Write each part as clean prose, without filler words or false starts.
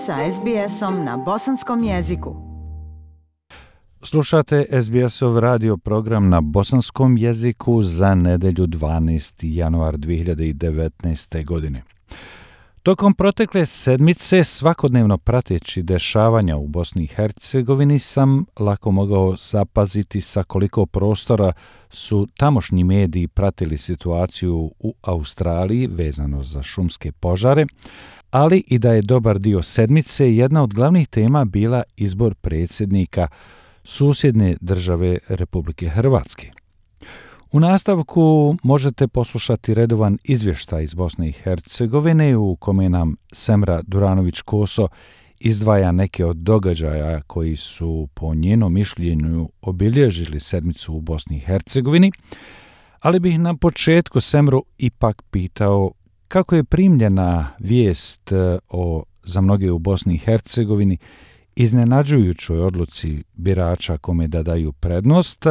sa SBS-om na bosanskom jeziku. Slušate SBS-ov radio program na bosanskom jeziku za nedelju 12. januar 2019. godine. Tokom protekle sedmice, svakodnevno prateći dešavanja u Bosni i Hercegovini, sam lako mogao zapaziti sa koliko prostora su tamošnji mediji pratili situaciju u Australiji vezano za šumske požare, ali i da je dobar dio sedmice jedna od glavnih tema bila izbor predsjednika susjedne države Republike Hrvatske. U nastavku možete poslušati redovan izvještaj iz Bosne i Hercegovine u kome nam Semra Duranović-Koso izdvaja neke od događaja koji su po njenom mišljenju obilježili sedmicu u Bosni i Hercegovini, ali bih na početku Semru ipak pitao kako je primljena vijest o, za mnoge u Bosni i Hercegovini, iznenađujućoj odluci birača kome da daju prednost.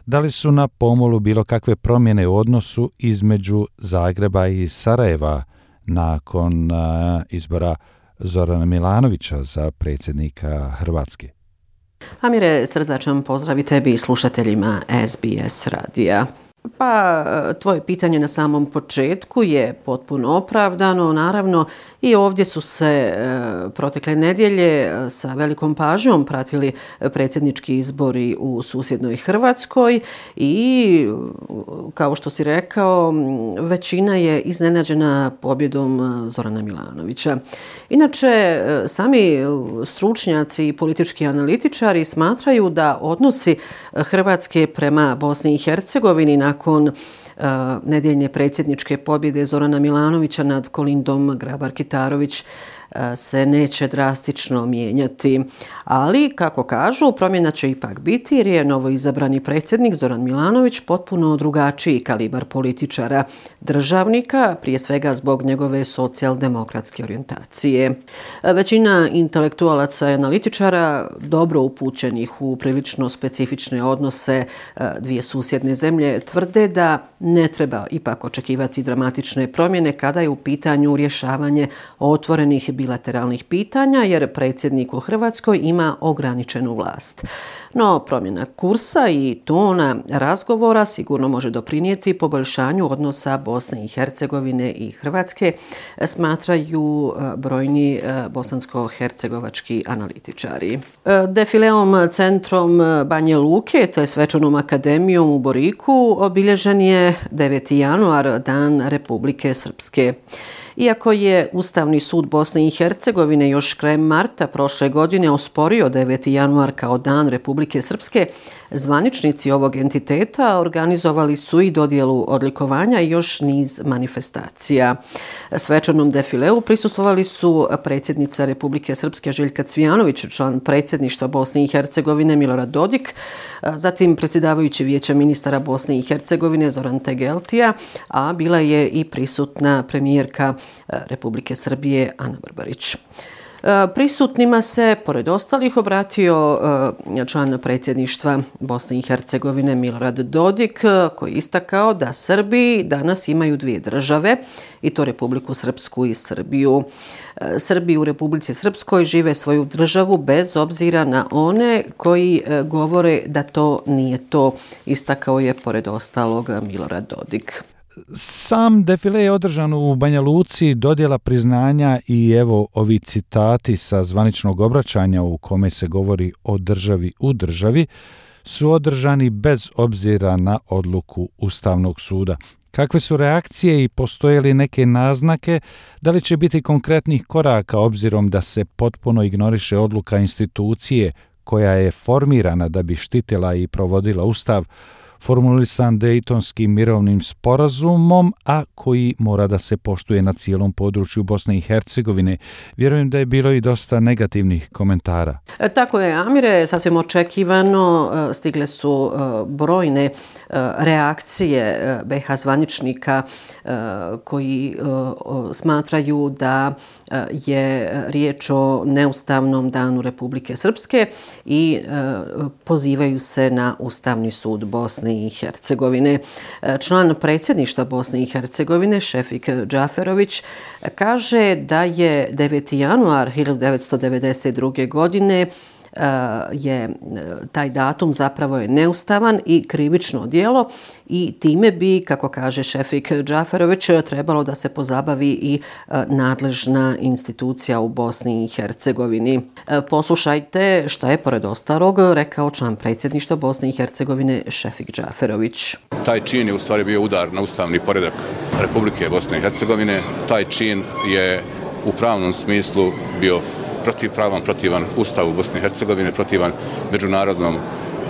Da li su na pomolu bilo kakve promjene u odnosu između Zagreba i Sarajeva nakon izbora Zorana Milanovića za predsjednika Hrvatske? Amire, srdačan pozdrav i tebi i slušateljima SBS radija. Pa, tvoje pitanje na samom početku je potpuno opravdano. Naravno, i ovdje su se protekle nedjelje sa velikom pažnjom pratili predsjednički izbori u susjednoj Hrvatskoj i, kao što si rekao, većina je iznenađena pobjedom Zorana Milanovića. Inače, sami stručnjaci i politički analitičari smatraju da odnosi Hrvatske prema Bosni i Hercegovini nakon nedjeljne predsjedničke pobjede Zorana Milanovića nad Kolindom Grabar-Kitarović se neće drastično mijenjati. Ali, kako kažu, promjena će ipak biti jer je novoizabrani predsjednik Zoran Milanović potpuno drugačiji kalibar političara, državnika, prije svega zbog njegove socijaldemokratske orijentacije. Većina intelektualaca i analitičara, dobro upućenih u prilično specifične odnose dvije susjedne zemlje, tvrde da ne treba ipak očekivati dramatične promjene kada je u pitanju rješavanje otvorenih bilateralnih pitanja, jer predsjednik u Hrvatskoj ima ograničenu vlast. No, promjena kursa i tona razgovora sigurno može doprinijeti poboljšanju odnosa Bosne i Hercegovine i Hrvatske, smatraju brojni bosansko-hercegovački analitičari. Defileom centrom Banja Luke, te svečanom akademijom u Boriku, obilježen je 9. januar, Dan Republike Srpske. Iako je Ustavni sud Bosne i Hercegovine još krajem marta prošle godine osporio 9. januar kao Dan Republike Srpske, zvaničnici ovog entiteta organizovali su i dodjelu odlikovanja i još niz manifestacija. Svečanom defileu prisustvovali su predsjednica Republike Srpske Željka Cvijanović, član predsjedništva Bosne i Hercegovine Milorad Dodik, zatim predsjedavajući Vijeća ministara Bosne i Hercegovine Zoran Tegeltija, a bila je i prisutna premijerka Republike Srbije Ana Barbarić. Prisutnima se, pored ostalih, obratio član predsjedništva Bosne i Hercegovine Milorad Dodik, koji je istakao da Srbi danas imaju dvije države, i to Republiku Srpsku i Srbiju. Srbi u Republici Srpskoj žive svoju državu bez obzira na one koji govore da to nije to, istakao je pored ostalog Milorad Dodik. Sam defile je održan u Banja Luci, dodjela priznanja i evo ovi citati sa zvaničnog obraćanja u kome se govori o državi u državi su održani bez obzira na odluku Ustavnog suda. Kakve su reakcije i postoje li neke naznake da li će biti konkretnih koraka obzirom da se potpuno ignoriše odluka institucije koja je formirana da bi štitila i provodila Ustav, formulisan Dejtonskim mirovnim sporazumom, a koji mora da se poštuje na cijelom području Bosne i Hercegovine. Vjerujem da je bilo i dosta negativnih komentara. Tako je, Amire, sasvim očekivano stigle su brojne reakcije BiH zvaničnika koji smatraju da je riječ o neustavnom danu Republike Srpske i pozivaju se na Ustavni sud Bosne Bosne i Hercegovine. Član predsjedništva Bosne i Hercegovine Šefik Džaferović kaže da je 9. januar 1992. godine taj datum zapravo je neustavan i krivično djelo i time bi, kako kaže Šefik Džaferović, trebalo da se pozabavi i nadležna institucija u Bosni i Hercegovini. Poslušajte šta je pored ostalog rekao član predsjedništva Bosne i Hercegovine Šefik Džaferović. Taj čin je u stvari bio udar na ustavni poredak Republike Bosne i Hercegovine. Taj čin je u pravnom smislu bio protivan Ustavu Bosne i Hercegovine, protivan međunarodnom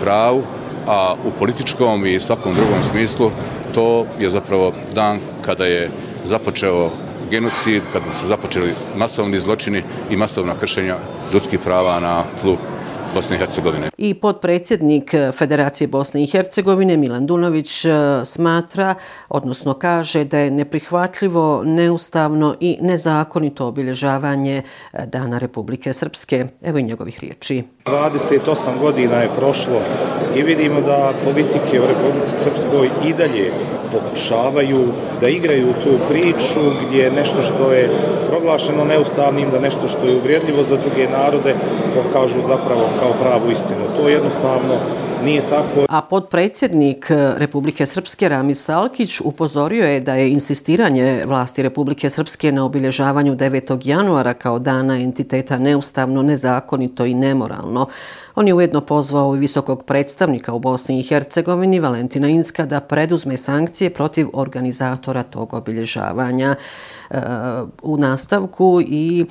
pravu, a u političkom i svakom drugom smislu to je zapravo dan kada je započeo genocid, kada su započeli masovni zločini i masovna kršenja ljudskih prava na tlu Bosne i Hercegovine. I potpredsjednik Federacije Bosne i Hercegovine Milan Dunović smatra, odnosno kaže da je neprihvatljivo, neustavno i nezakonito obilježavanje Dana Republike Srpske. Evo i njegovih riječi. 28 godina je prošlo i vidimo da politike u Republici Srpskoj i dalje pokušavaju da igraju tu priču gdje nešto što je proglašeno neustavnim, da nešto što je uvrijedljivo za druge narode pokažu zapravo kao pravu istinu. To jednostavno nije tako. A potpredsjednik Republike Srpske Ramiz Salkić upozorio je da je insistiranje vlasti Republike Srpske na obilježavanju 9. januara kao dana entiteta neustavno, nezakonito i nemoralno. On je ujedno pozvao i visokog predstavnika u Bosni i Hercegovini Valentina Incka da preduzme sankcije protiv organizatora tog obilježavanja. U nastavku i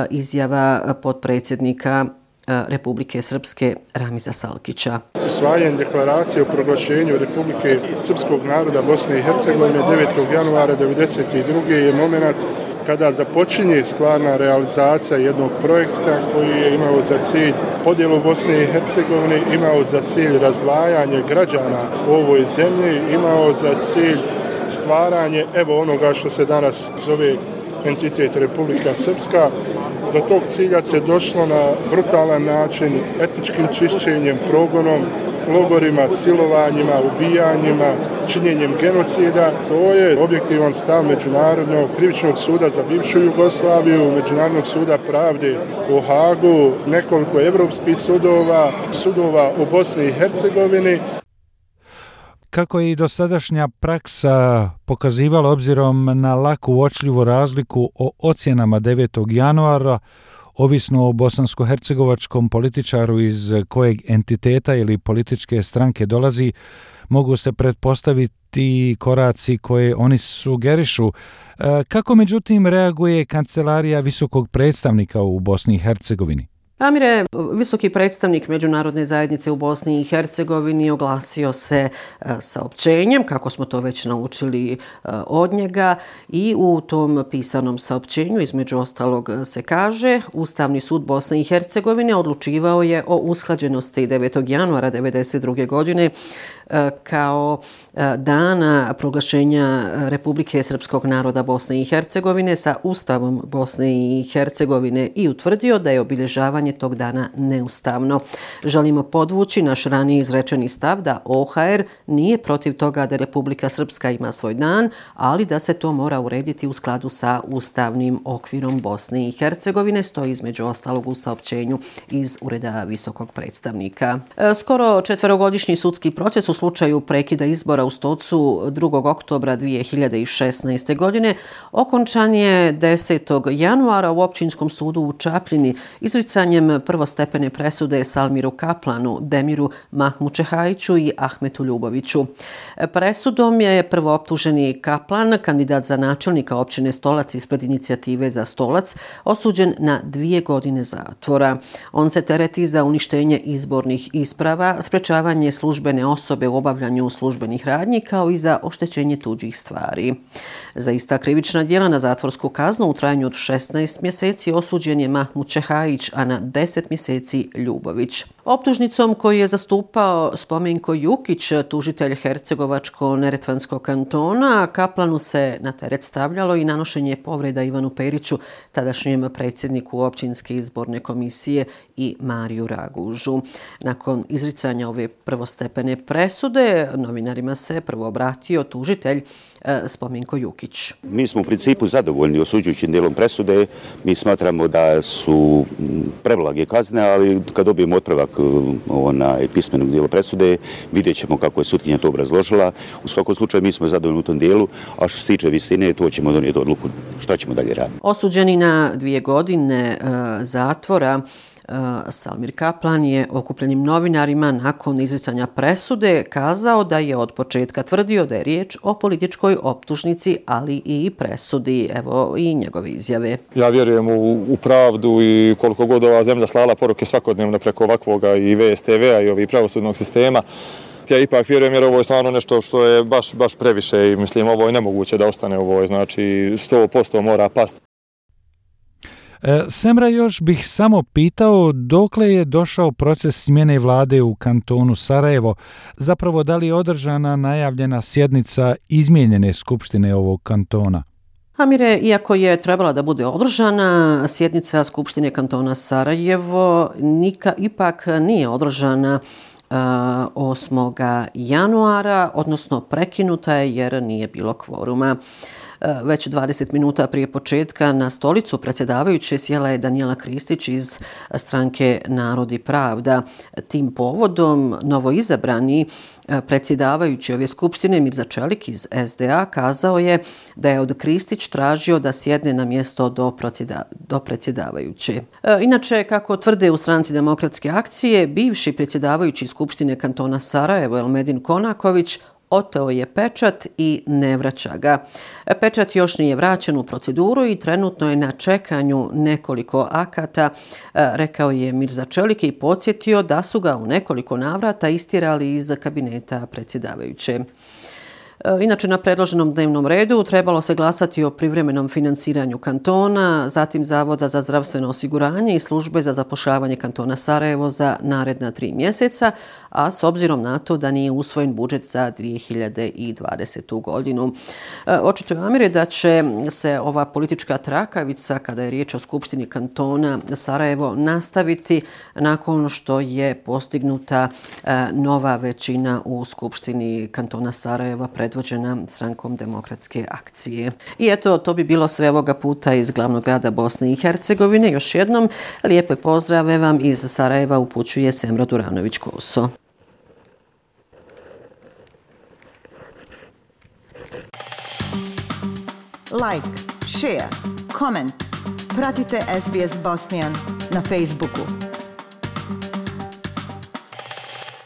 izjava potpredsjednika Republike Srpske Ramiza Salkića. Usvajanje deklaracije o proglašenju Republike Srpskog naroda Bosne i Hercegovine 9. januara 1992. je moment kada započinje stvarna realizacija jednog projekta koji je imao za cilj podjelu Bosne i Hercegovine, imao za cilj razdvajanje građana u ovoj zemlji, imao za cilj stvaranje onoga što se danas zove entitet Republika Srpska. Do tog cilja se došlo na brutalan način, etničkim čišćenjem, progonom, logorima, silovanjima, ubijanjima, činjenjem genocida. To je objektivan stav Međunarodnog krivičnog suda za bivšu Jugoslaviju, Međunarodnog suda pravde u Hagu, nekoliko evropskih sudova u Bosni i Hercegovini. Kako je i dosadašnja praksa pokazivala obzirom na lako uočljivu razliku o ocjenama 9. januara, ovisno o bosansko-hercegovačkom političaru iz kojeg entiteta ili političke stranke dolazi, mogu se pretpostaviti koraci koje oni sugerišu. Kako međutim reaguje Kancelarija visokog predstavnika u Bosni i Hercegovini? Amire, visoki predstavnik Međunarodne zajednice u Bosni i Hercegovini oglasio se saopćenjem, kako smo to već naučili od njega, i u tom pisanom saopćenju između ostalog se kaže: Ustavni sud Bosne i Hercegovine odlučivao je o usklađenosti 9. januara 1992. godine kao dana proglašenja Republike Srpskog naroda Bosne i Hercegovine sa Ustavom Bosne i Hercegovine i utvrdio da je obilježavanje tog dana neustavno. Želimo podvući naš ranije izrečeni stav da OHR nije protiv toga da Republika Srpska ima svoj dan, ali da se to mora urediti u skladu sa ustavnim okvirom Bosne i Hercegovine, stoji između ostalog u saopćenju iz Ureda visokog predstavnika. Skoro 4-godišnji sudski proces u slučaju prekida izbora u Stocu 2. oktobra 2016. godine okončan je 10. januara u Općinskom sudu u Čapljini izricanjem prvostepene presude Salmiru Kaplanu, Demiru Mahmučehajiću i Ahmetu Ljuboviću. Presudom je prvooptuženi Kaplan, kandidat za načelnika općine Stolac ispred inicijative za Stolac, osuđen na 2 godine zatvora. On se tereti za uništenje izbornih isprava, sprečavanje službene osobe u obavljanju službenih radnji, kao i za oštećenje tuđih stvari. Za ista krivična djela na zatvorsku kaznu u trajanju od 16 mjeseci osuđen je Mahmučehajić, a na 10 mjeseci Ljubović. Optužnicom koju je zastupao Spomenko Jukić, tužitelj Hercegovačko-Neretvanskog kantona, Kaplanu se na teret stavljalo i nanošenje povreda Ivanu Periću, tadašnjem predsjedniku općinske izborne komisije, i Mariju Ragužu. Nakon izricanja ove prvostepene presude, novinarima se prvo obratio tužitelj Spomenko Jukić. Mi smo u principu zadovoljni osuđujućim dijelom presude. Mi smatramo da su preblage kazne, ali kad dobijemo otpravak pismenog dijela presude, vidjet ćemo kako je sutkinja to obrazložila. U svakom slučaju mi smo zadovoljni u tom dijelu, a što se tiče visine, to ćemo donijeti odluku šta ćemo dalje raditi. Osuđeni na 2 godine zatvora, Salmir Kaplan je okupljenim novinarima nakon izricanja presude kazao da je od početka tvrdio da je riječ o političkoj optužnici, ali i presudi. Evo i njegove izjave. Ja vjerujem u pravdu i koliko god ova zemlja slala poruke svakodnevno preko ovakvoga i VSTV-a i ovih pravosudnog sistema. Ja ipak vjerujem jer ovo je stvarno nešto što je baš previše i mislim ovo je nemoguće da ostane, ovo je znači 100% mora pasti. Semra, još bih samo pitao dokle je došao proces smjene vlade u kantonu Sarajevo, zapravo da li je održana najavljena sjednica izmijenjene skupštine ovog kantona? Amire, iako je trebala da bude održana, sjednica Skupštine kantona Sarajevo ipak nije održana 8. januara, odnosno prekinuta je jer nije bilo kvoruma. Već 20 minuta prije početka na stolicu predsjedavajuće sjela je Danijela Kristić iz stranke Narod i pravda. Tim povodom novoizabrani predsjedavajući ove skupštine Mirza Čelik iz SDA kazao je da je od Kristić tražio da sjedne na mjesto do predsjedavajuće. Inače, kako tvrde u stranci Demokratske akcije, bivši predsjedavajući skupštine kantona Sarajevo Elmedin Konaković oteo je pečat i ne vraća ga. Pečat još nije vraćen u proceduru i trenutno je na čekanju nekoliko akata, rekao je Mirza Čelik i podsjetio da su ga u nekoliko navrata istjerali iz kabineta predsjedavajuće. Inače, na predloženom dnevnom redu trebalo se glasati o privremenom financiranju kantona, zatim Zavoda za zdravstveno osiguranje i službe za zapošljavanje kantona Sarajevo za naredna 3 mjeseca, a s obzirom na to da nije usvojen budžet za 2020. godinu. Očito je, Amire, da će se ova politička trakavica, kada je riječ o Skupštini kantona Sarajevo, nastaviti nakon što je postignuta nova većina u Skupštini kantona Sarajeva predvođena strankom Demokratske akcije. I eto, to bi bilo sve ovoga puta iz glavnog grada Bosne i Hercegovine. Još jednom, lijepe pozdrave vam iz Sarajeva upućuje Semra Duranović-Koso. Like, share, comment. Pratite SBS Bosnian na Facebooku.